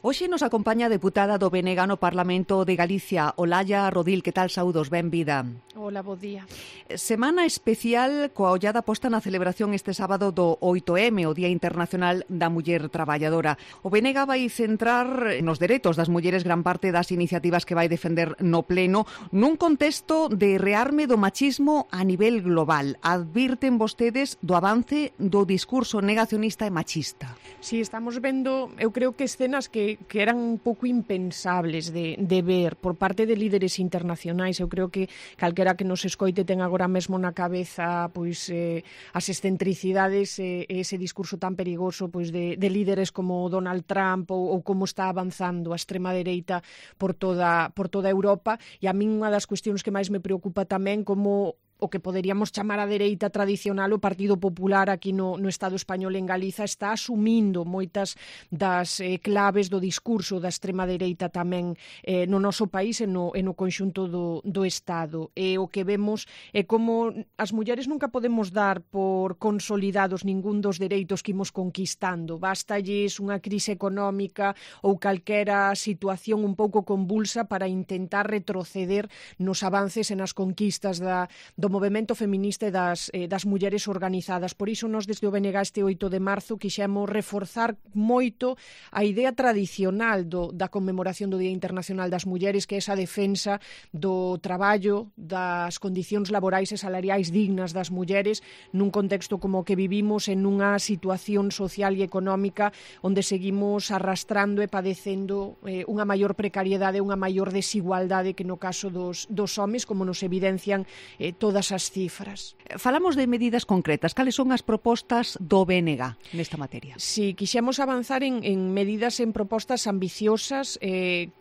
Hoxe nos acompaña a deputada do BNG no Parlamento de Galicia, Olalla Rodil. Que tal, saúdos? Benvida. Hola, bo día. Semana especial coa ollada posta na celebración este sábado do 8M, o Día Internacional da Muller Traballadora. O BNG vai centrar nos dereitos das mulleres gran parte das iniciativas que vai defender no Pleno nun contexto de rearme do machismo a nivel global. Advirten vostedes do avance do discurso negacionista e machista. Sí, estamos vendo, eu creo que escenas que eran un pouco impensables de ver por parte de líderes internacionais. Eu creo que calquera que nos escoite ten agora mesmo na cabeza pois as excentricidades e ese discurso tan perigoso pois de líderes como Donald Trump ou como está avanzando a extrema dereita por toda Europa. E a min unha das cuestións que máis me preocupa tamén como o que poderíamos chamar a dereita tradicional, o Partido Popular aquí no Estado español en Galiza está asumindo moitas das claves do discurso da extrema dereita tamén no noso país e no conxunto do Estado. E o que vemos é como as mulleres nunca podemos dar por consolidados ningún dos dereitos que imos conquistando. Bastalles unha crise económica ou calquera situación un pouco convulsa para intentar retroceder nos avances e nas conquistas do movemento feminista e das mulleres organizadas. Por iso nos desde o BNG este 8 de marzo quixemos reforzar moito a idea tradicional da conmemoración do Día Internacional das Mulleres, que é esa defensa do traballo, das condicións laborais e salariais dignas das mulleres nun contexto como o que vivimos en unha situación social e económica onde seguimos arrastrando e padecendo unha maior precariedade, unha maior desigualdade que no caso dos homes, como nos evidencian todas as cifras. Falamos de medidas concretas. Cales son as propostas do BNG nesta materia? Si, quixemos avanzar en medidas, en propostas ambiciosas,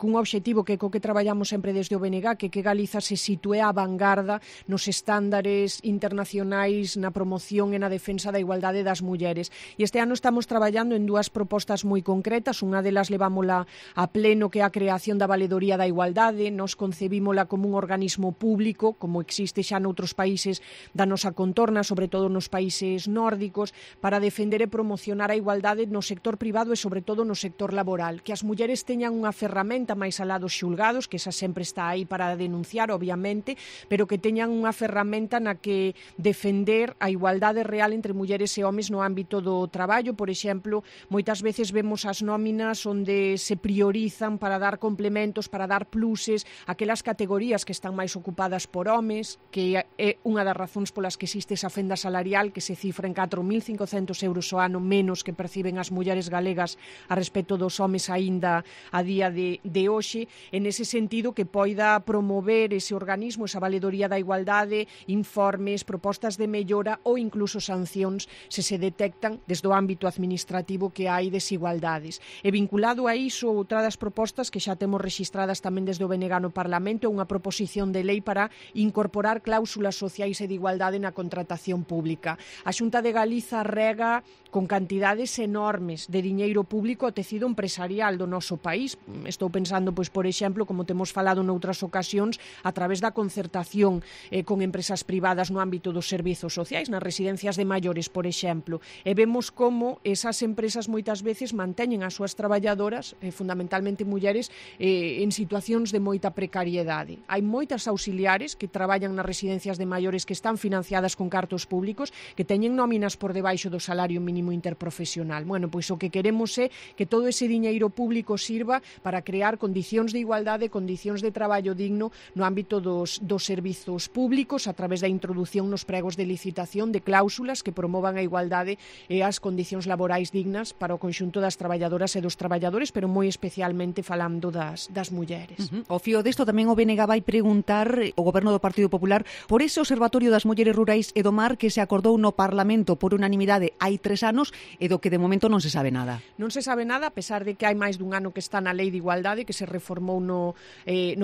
cun obxectivo que co que traballamos sempre desde o BNG, que Galiza se sitúe á vanguarda nos estándares internacionais na promoción e na defensa da igualdade das mulleres. E este ano estamos traballando en dúas propostas moi concretas. Unha delas levámola a pleno, que é a creación da Valedoría da Igualdade. Nos concebímola como un organismo público, como existe xa noutros países da nosa contorna, sobre todo nos países nórdicos, para defender e promocionar a igualdade no sector privado e sobre todo no sector laboral. Que as mulleres teñan unha ferramenta máis alá dos xulgados, que esa sempre está aí para denunciar, obviamente, pero que teñan unha ferramenta na que defender a igualdade real entre mulleres e homes no ámbito do traballo. Por exemplo, moitas veces vemos as nóminas onde se priorizan para dar complementos, para dar pluses, aquelas categorías que están máis ocupadas por homes, que é unha das razóns polas que existe esa fenda salarial que se cifra en 4.500 euros ao ano menos que perciben as mulleres galegas a respecto dos homes aínda a día de hoxe. En ese sentido, que poida promover ese organismo, esa valedoría da igualdade, informes, propostas de mellora ou incluso sancións se detectan desde o ámbito administrativo que hai desigualdades. E vinculado a iso, outra das propostas que xa temos rexistradas tamén desde o BNG no Parlamento é unha proposición de lei para incorporar cláusulas sociais e de igualdade na contratación pública. A Xunta de Galiza rega con cantidades enormes de diñeiro público ao tecido empresarial do noso país. Estou pensando, pois, por exemplo, como temos falado noutras ocasións, a través da concertación con empresas privadas no ámbito dos servizos sociais, nas residencias de maiores, por exemplo. E vemos como esas empresas moitas veces manteñen as súas traballadoras, fundamentalmente mulleres, en situacións de moita precariedade. Hai moitas auxiliares que traballan nas residencias de maiores que están financiadas con cartos públicos, que teñen nóminas por debaixo do salario mínimo interprofesional. Bueno, pois o que queremos é que todo ese diñeiro público sirva para crear condicións de igualdade, condicións de traballo digno no ámbito dos servizos públicos a través da introdución nos pregos de licitación de cláusulas que promovan a igualdade e as condicións laborais dignas para o conxunto das traballadoras e dos traballadores, pero moi especialmente falando das mulleres. O fío desto tamén o BNG vai preguntar o Goberno do Partido Popular por ese Observatorio das Mulleres Rurais e do Mar que se acordou no Parlamento por unanimidade hai 3 anos e do que de momento non se sabe nada. Non se sabe nada, a pesar de que hai máis dun ano que está na Lei de Igualdade, que se reformou no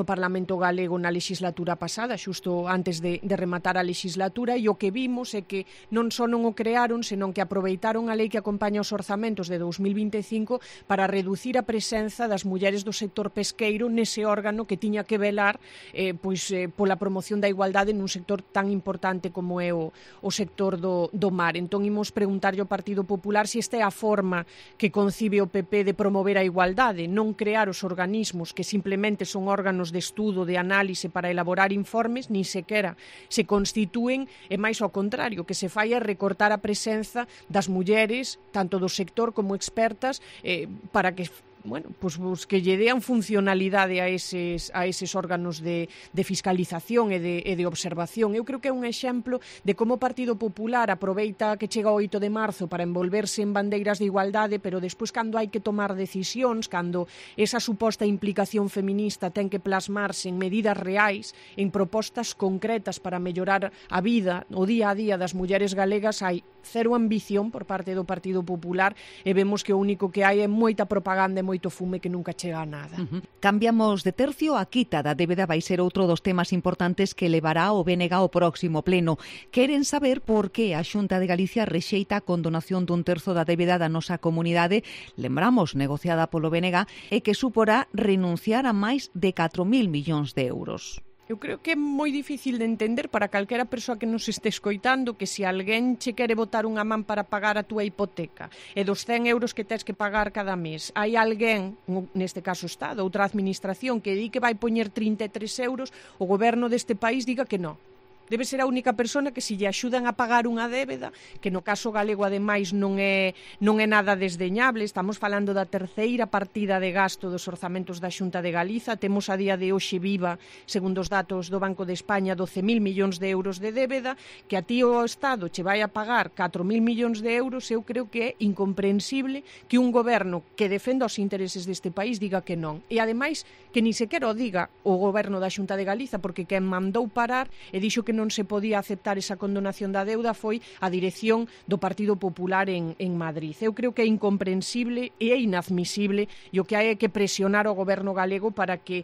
Parlamento galego na legislatura pasada, xusto antes de rematar a legislatura, e o que vimos é que non só non o crearon, senón que aproveitaron a lei que acompaña os orzamentos de 2025 para reducir a presenza das mulleres do sector pesqueiro nese órgano que tiña que velar pola promoción da igualdade nun sector sector tan importante como é o sector do mar. Entón, imos preguntarlle ao Partido Popular se esta é a forma que concibe o PP de promover a igualdade, non crear os organismos que simplemente son órganos de estudo, de análise para elaborar informes, nin sequera se constitúen, e máis ao contrario, que se fai é recortar a presenza das mulleres, tanto do sector como expertas, para que que lle dean funcionalidade a eses órganos de fiscalización e de observación. Eu creo que é un exemplo de como o Partido Popular aproveita que chega o 8 de marzo para envolverse en bandeiras de igualdade, pero despois, cando hai que tomar decisións, cando esa suposta implicación feminista ten que plasmarse en medidas reais, en propostas concretas para mellorar a vida, o día a día das mulleres galegas, hai cero ambición por parte do Partido Popular e vemos que o único que hai é moita propaganda e moito fume que nunca chega a nada. Cambiamos de tercio. A quita da débeda vai ser outro dos temas importantes que levará o BNG ao próximo pleno. Queren saber por que a Xunta de Galicia rexeita a condonación dun terzo da débeda da nosa comunidade, lembramos, negociada polo BNG, e que suporá renunciar a máis de 4.000 millóns de euros. Eu creo que é moi difícil de entender para calquera persoa que nos este escoitando que se alguén che quere botar unha man para pagar a túa hipoteca e dos 100 euros que tes que pagar cada mes, hai alguén, neste caso o Estado, outra administración, que di que vai poñer 33 euros, o goberno deste país diga que non. Debe ser a única persona que se lle axudan a pagar unha débeda, que no caso galego ademais non é nada desdeñable. Estamos falando da terceira partida de gasto dos orzamentos da Xunta de Galiza. Temos a día de hoxe viva, segundo os datos do Banco de España, 12.000 millóns de euros de débeda, que a ti o Estado che vai a pagar 4.000 millóns de euros. Eu creo que é incomprensible que un goberno que defenda os intereses deste país diga que non. E ademais que ni sequera o diga o goberno da Xunta de Galiza, porque quen mandou parar e dixo que non se podía aceptar esa condonación da deuda foi a dirección do Partido Popular en Madrid. Eu creo que é incomprensible e é inadmisible, e o que hai é que presionar o goberno galego para que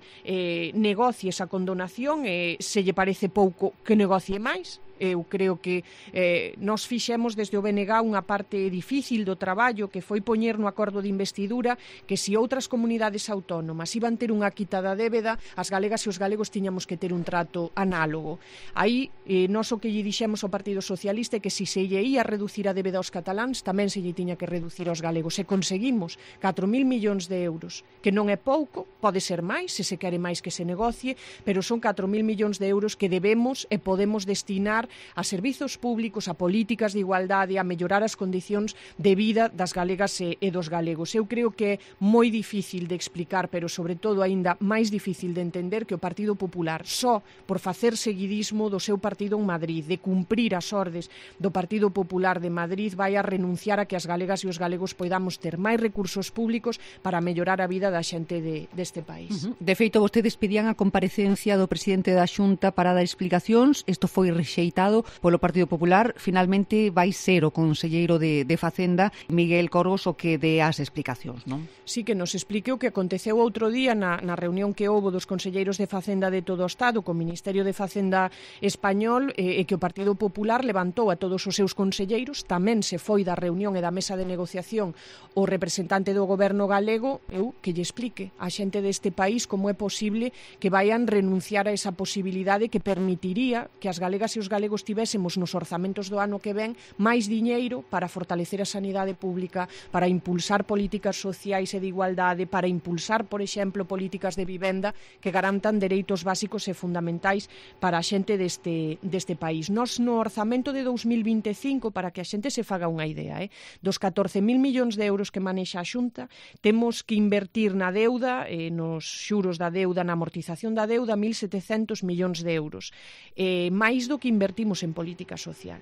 negocie esa condonación, e se lle parece pouco que negocie máis. Eu creo que nós fixemos desde o BNG unha parte difícil do traballo, que foi poñer no acordo de investidura que se outras comunidades autónomas iban ter unha quita da débeda, as galegas e os galegos tiñamos que ter un trato análogo. Aí, nós o que lle dixemos ao Partido Socialista é que se lle ia reducir a débeda aos cataláns, tamén se lle tiña que reducir aos galegos. E conseguimos 4.000 millóns de euros, que non é pouco, pode ser máis, se se quere máis que se negocie, pero son 4.000 millóns de euros que debemos e podemos destinar a servizos públicos, a políticas de igualdade, a mellorar as condicións de vida das galegas e dos galegos. Eu creo que é moi difícil de explicar, pero sobre todo aínda máis difícil de entender, que o Partido Popular, só por facer seguidismo do seu partido en Madrid, de cumprir as ordes do Partido Popular de Madrid, vai a renunciar a que as galegas e os galegos poidamos ter máis recursos públicos para mellorar a vida da xente deste país. De feito, vostedes pedían a comparecencia do presidente da Xunta para dar explicacións. Isto foi rexeitado polo Partido Popular. Finalmente vai ser o conselleiro de Facenda, Miguel Corgos, o que dé as explicacións, non? Sí, que nos explique o que aconteceu outro día na reunión que houbo dos conselleiros de Facenda de todo o Estado co Ministerio de Facenda español, e que o Partido Popular levantou a todos os seus conselleiros. Tamén se foi da reunión e da mesa de negociación o representante do goberno galego, que lle explique a xente deste país como é posible que vayan renunciar a esa posibilidade que permitiría que as galegas e os galegos tivésemos nos orzamentos do ano que ven máis diñeiro para fortalecer a sanidade pública, para impulsar políticas sociais e de igualdade, para impulsar, por exemplo, políticas de vivenda que garantan dereitos básicos e fundamentais para a xente deste país. Nos no orzamento de 2025, para que a xente se faga unha idea, dos 14.000 millóns de euros que manexa a Xunta, temos que invertir na deuda, nos xuros da deuda, na amortización da deuda, 1.700 millóns de euros. Máis do que invertimos en política social.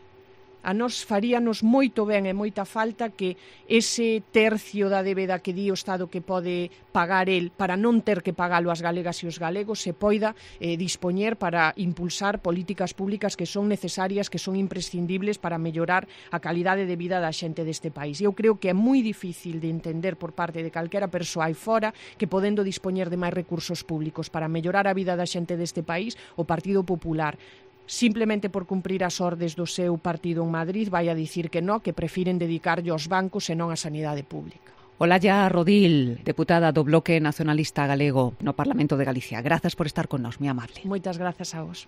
A nós faríanos moito ben e moita falta que ese tercio da débeda que di o Estado que pode pagar el para non ter que pagalo as galegas e os galegos se poida dispoñer para impulsar políticas públicas que son necesarias, que son imprescindibles para mellorar a calidade de vida da xente deste país. Eu creo que é moi difícil de entender por parte de calquera persoa aí fora que podendo dispoñer de máis recursos públicos para mellorar a vida da xente deste país, o Partido Popular, simplemente por cumprir as ordes do seu partido en Madrid, vai a dicir que non, que prefiren dedicarlle aos bancos e non á sanidade pública. Olalla Rodil, deputada do Bloque Nacionalista Galego no Parlamento de Galicia. Grazas por estar con nós, moi amable. Moitas grazas a vos.